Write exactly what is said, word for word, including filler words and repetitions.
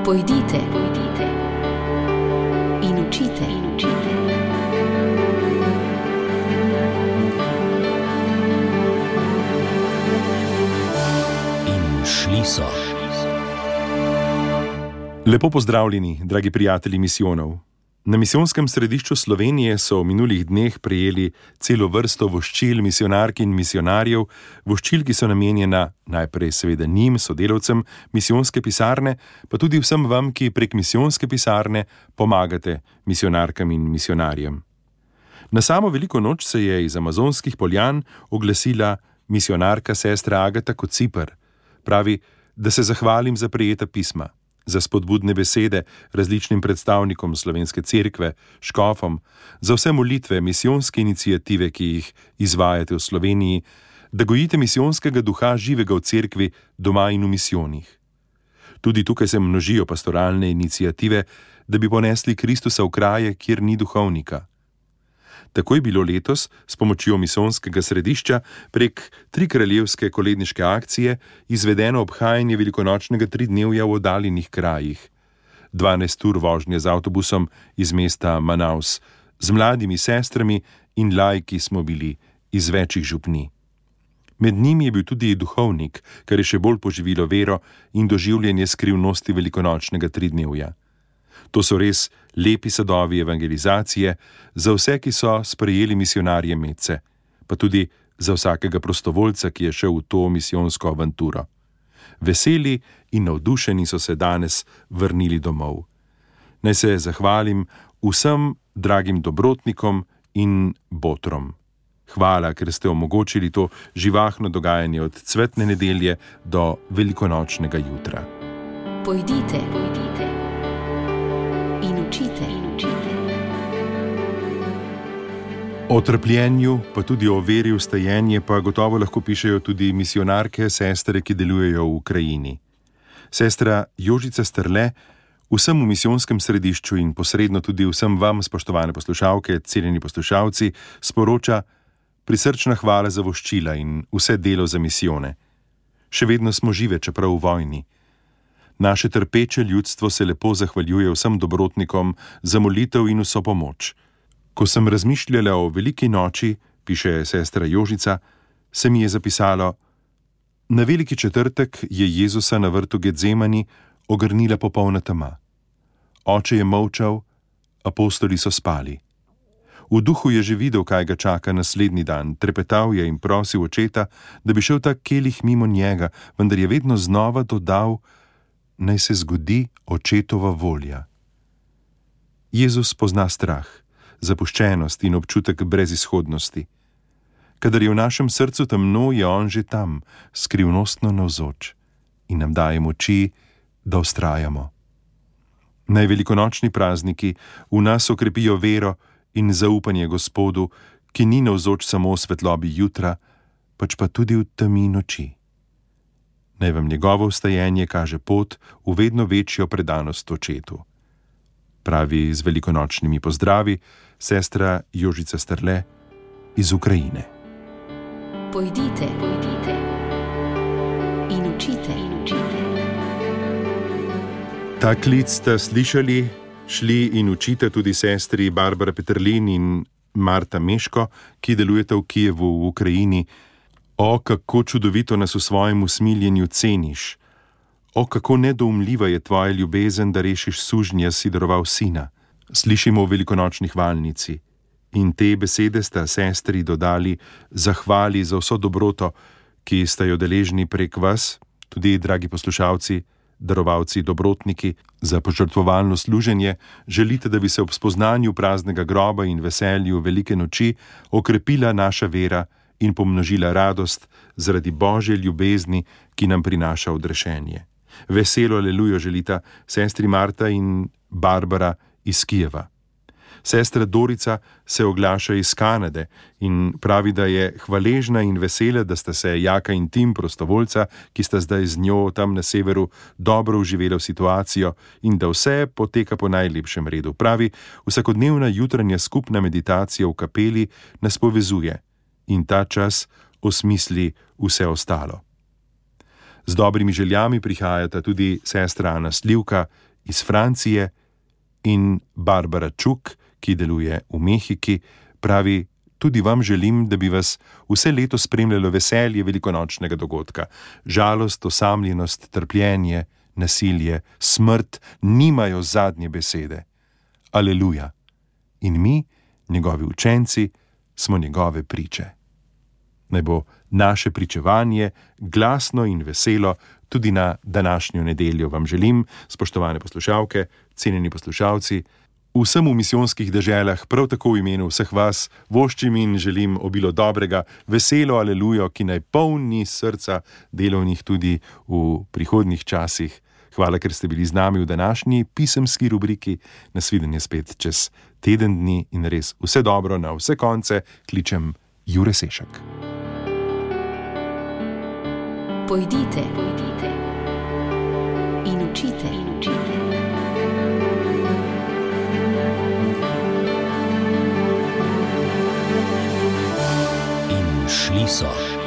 Pojdite, pojdite in učite, in učite. In šli so. Lepo pozdravljeni, dragi prijatelji misijonov. Na misijonskem središču Slovenije so v minulih dneh prejeli celo vrsto voščil misijonark in misijonarjev, voščil, ki so namenjena najprej seveda njim, sodelavcem misijonske pisarne, pa tudi vsem vam, ki prek misijonske pisarne pomagate misijonarkam in misijonarjem. Na samo veliko noč se je iz amazonskih poljan oglasila misijonarka sestra Agata Kociper. Pravi, da se zahvalim za prejeta pisma, za spodbudne besede različnim predstavnikom Slovenske cerkve, škofom, za vse molitve, misijonske iniciative, ki jih izvajate v Sloveniji, da gojite misijonskega duha živega v cerkvi, doma in v misijonih. Tudi tukaj se množijo pastoralne iniciative, da bi ponesli Kristusa v kraje, kjer ni duhovnika. Tako je bilo letos s pomočjo misijonskega središča prek trikraljevske koledniške akcije izvedeno obhajanje velikonočnega tridnevja v oddaljenih krajih. dvanajst ur vožnje z avtobusom iz mesta Manaus, z mladimi sestrami in laiki smo bili iz večjih župni. Med njimi je bil tudi duhovnik, kar je še bolj poživilo vero in doživljanje skrivnosti velikonočnega tridnevja. To so res lepi sadovi evangelizacije za vse, ki so sprejeli misijonarje medse, pa tudi za vsakega prostovoljca, ki je šel v to misijonsko avanturo. Veseli in navdušeni so se danes vrnili domov. Naj se zahvalim vsem dragim dobrotnikom in botrom. Hvala, ker ste omogočili to živahno dogajanje od cvetne nedelje do velikonočnega jutra. Pojdite, pojdite. In učite, in učite. O trpljenju, pa tudi o veri v stajenje, pa gotovo lahko pišejo tudi misijonarke, sestre, ki delujejo v Ukrajini. Sestra Jožica Strle vsem v misijonskem središču in posredno tudi vsem vam, spoštovane poslušalke, cenjeni poslušalci, sporoča prisrčna hvala za voščila in vse delo za misijone. Še vedno smo žive, čeprav v vojni. Naše trpeče ljudstvo se lepo zahvaljuje vsem dobrotnikom za molitev in vso pomoč. Ko sem razmišljala o veliki noči, piše sestra Jožica, se mi je zapisalo: na veliki četrtek je Jezusa na vrtu Getsemani ogrnila popolna tema. Oče je molčal, apostoli so spali. V duhu je že videl, kaj ga čaka naslednji dan, trepetal je in prosil očeta, da bi šel ta kelih mimo njega, vendar je vedno znova dodal: naj se zgodi očetova volja. Jezus pozna strah, zapuščenost in občutek brezizhodnosti. Kadar je v našem srcu temno, je on že tam, skrivnostno navzoč in nam daje moči, da vztrajamo. Naj velikonočni prazniki v nas okrepijo vero in zaupanje Gospodu, ki ni navzoč samo v svetlobi jutra, pač pa tudi v temi noči. Naj vam njegovo vstajenje kaže pot v vedno večjo predanost očetu. Pravi z velikonočnimi pozdravi sestra Jožica Strle iz Ukrajine. Pojdite, pojdite in učite, in učite. Ta klic ste slišali, šli in učite tudi sestri Barbara Peterlin in Marta Meško, ki delujete v Kijevu v Ukrajini. O, kako čudovito nas v svojem usmiljenju ceniš. O, kako nedoumljiva je tvoja ljubezen, da rešiš sužnja, si daroval sina. Slišimo v velikonočni hvalnici. In te besede sta sestri dodali zahvali za vso dobroto, ki sta jo deležni prek vas, tudi dragi poslušalci, darovalci, dobrotniki, za požrtvovalno služenje. Želite, da bi se ob spoznanju praznega groba in veselju velike noči okrepila naša vera in pomnožila radost zaradi Božje ljubezni, ki nam prinaša odrešenje. Veselo alelujo želita sestri Marta in Barbara iz Kijeva. Sestra Dorica se oglaša iz Kanade in pravi, da je hvaležna in vesela, da sta se Jaka in Tim, prostovoljca, ki sta zdaj z njo tam na severu, dobro vživela v situacijo in da vse poteka po najlepšem redu. Pravi, vsakodnevna jutranja skupna meditacija v kapeli nas povezuje in ta čas osmisli vse ostalo. Z dobrimi željami prihajata tudi sestra Ana Slivka iz Francije, in Barbara Čuk, ki deluje v Mehiki, pravi: tudi vam želim, da bi vas vse leto spremljalo veselje velikonočnega dogodka. Žalost, osamljenost, trpljenje, nasilje, smrt nimajo zadnje besede. Aleluja. In mi, njegovi učenci, smo njegove priče. Naj bo naše pričevanje glasno in veselo tudi na današnjo nedeljo. Vam želim, spoštovane poslušalke, cenjeni poslušalci, vsem v misijonskih deželah, prav tako v imenu vseh vas, voščim in želim obilo dobrega, veselo alelujo, ki naj polni srca delovnih tudi v prihodnjih časih. Hvala, ker ste bili z nami v današnji pisemski rubriki. Nasvidenje spet čez teden dni in res vse dobro na vse konce. Kličem Jure Sešak. Pojdite, pojdite in učite, in učite. In šli so.